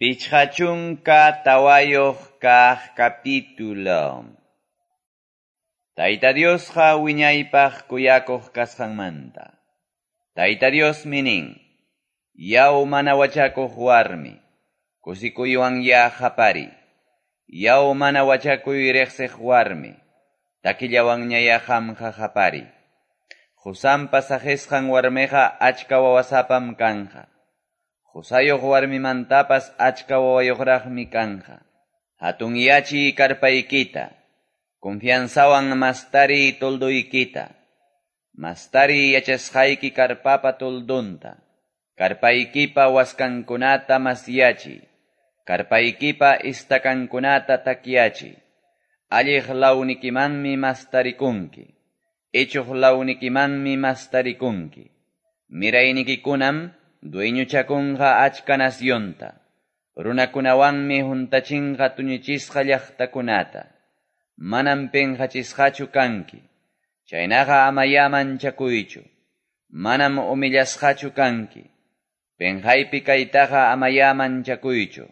54 kaq capítulo. Tayta Diosqa wiñaypaq kuyakuq kasqanmanta. Tayta Diosmi nin: Yaw mana wachakuq warmi, kusikuywanyá qapariy. Yaw mana wachakuy riqsiq warmi, takillawanñayá qamqa qapariy. Qosanpa saqisqan warmiqa achka wawasapam kanqa. Qosayuq warmimantapas achka wawayuqraqmi kanqa. Hatunyachiy karpaykita, confianzawan mastariy toldoykita. Mastariy yachasqayki karpapa toldonta. Karpaykipa waskankunata masyachiy. Karpaykipa istakankunata takyachiy. Alliq lawnikimanmi mastarikunki. Ichuq lawnikimanmi mastarikunki. Miraynikikunam dueñochakunqa achka nacionta. Runakunawanmi huntachinqa tuñichisqa llaqtakunata. Manam pinqachisqachu kanki. Chaynaqa amayá manchakuychu. Manam humillasqachu kanki. Pinqaypi kaytaqa amayá manchakuychu.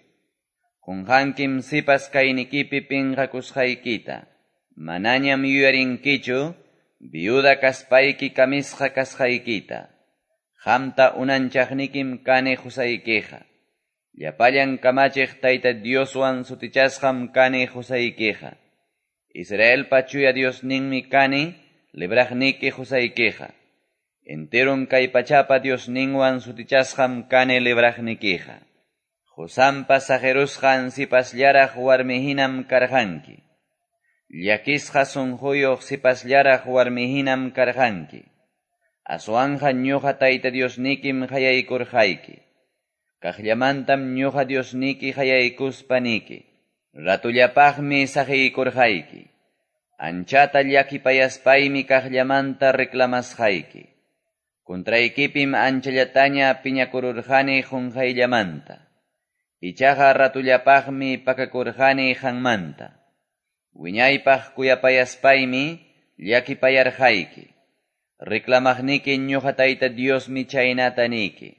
Qunqankim sipas kaynikipi pinqakusqaykita. Manañam yuyarinkichu viuda kaspayki kamisqa kasqaykita. Qamta unanchaqnikim kani qusaykiqa. Llapallan kamachiq Tayta Dioswan sutichasqam kani qusaykiqa. Israelpa chuya Diosninmi kani libraqniki qusaykiqa. Enteron kay pachapa Diosninwan sutichasqam kani libraqnikiqa. Qosanpa saqirusqan sipasllaraq warmihinam karqanki. Llakisqa sunquyuq sipasllaraq warmihinam karqanki. Aswanja ñuqa Tayta Diosnikim qayaykurqayki. Kaqllamantam ñuqa Diosniki qayaykuspaniki. Ratullapaqmi saqiykurqayki. Anchata llakipayaspaymi kaqllamanta reclamasqayki. Contraykipim anchallataña piñakururqani qunqayllamanta. Ichaqa ratullapaqmi pakakurqani qanmanta. Wiñaypaq kuyapayaspaymi llakipayarqayki. Reclamaqniki ñuqa Tayta Diosmi chaynata niki.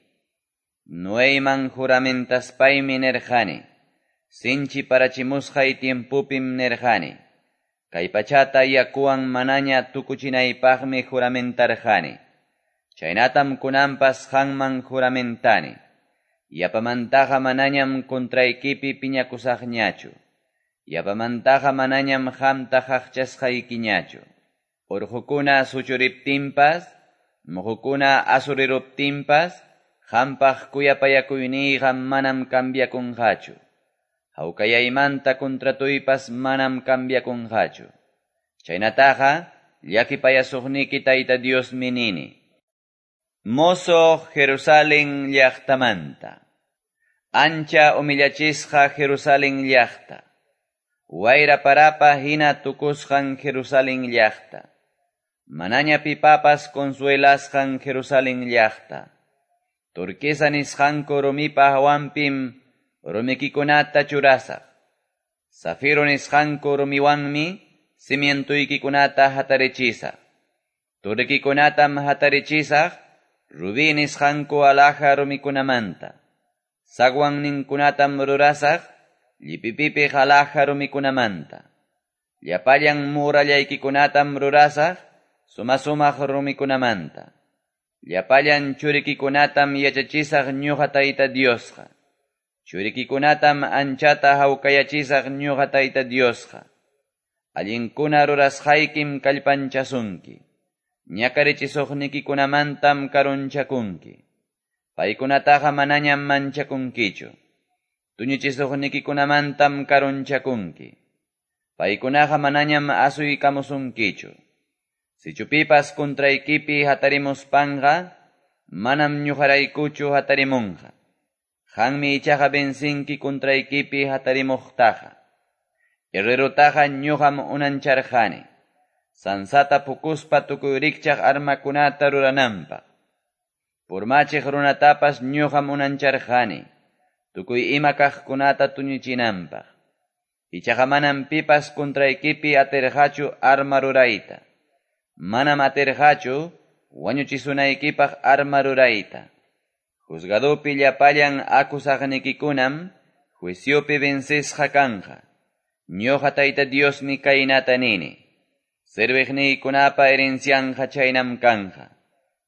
Noeyman juramentaspaymi nirqani. Sinchi parachimusqay tiempupim nirqani. Kay pachata yakuwan manaña tukuchinaypaqmi juramentarqani. Chaynatam kunanpas qanman juramentani. Yapamantaqa manañam contraykipi piñakusaqñachu. Yapamantaqa manañam qamta qaqchasqaykiñachu. Urqukuna suchuriptinpas, muqukuna asuriruptinpas, qampaq kuyapayakuyniyqa manam cambiakunqachu. Hawkayaymanta contratuypas manam cambiakunqachu. Chaynataqa llakipayasuqniki Tayta Diosmi nini. Mozo Jerusalén llaqtamanta. Ancha humillachisqa Jerusalén llaqta. Wayra parapa hina tukusqan Jerusalén llaqta. Manaña pipapas consuelasqan Jerusalén llaqta. Turquesa nisqanku rumipa hawanpim rumikikunata churasaq. Zafiro nisqanku rumiwanmi cimientuykikunata hatarichisaq. Turikikunatam hatarichisaq rubí nisqanku alhaja rumikunamanta. Zaguanninkunatam rurasaq llipipipiq alhaja rumikunamanta. Llapallan murallaykikunatam rurasaq suma-sumaq rumikunamanta. Llapallan churikikunatam yachachisaq ñuqa Tayta Diosqa. Churikikunatam anchata hawkayachisaq ñuqa Tayta Diosqa. Allinkuna rurasqaykim kallpanchasunki. Ñakarichisuqnikikunamantam karunchakunki. Paykunataqa manañam manchakunkichu. Tuñichisuqnikikunamantam karunchakunki. Paykunaqa manañam asuykamusunkichu. Sichu pipas contraykipi hatarimuspanqa, manam ñuqaraykuchu hatarimunqa. Qanmi ichaqa vencinki contraykipi hatarimuqtaqa. Herrerutaqa ñuqam unancharqani. Sansata pukuspa tukuy rikchaq armakunata rurananpaq. Purmachiq runatapas ñuqam unancharqani. Tukuy ima kaqkunata tuñichinanpaq. Ichaqa manam pipas contraykipi atirqachu arma rurayta. Manam atirqachu wañuchisunaykipaq arma rurayta. Juzgadopi llapallan akusaqnikikunam juiciopi vencesqa kanqa. Ñoqa Tayta Diosmi kaynata nini, Serviqniykunapa herencianqa chaynam kanqa.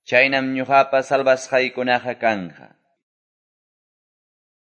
Chaynam ñoqapa salvasqaykunaqa kanqa.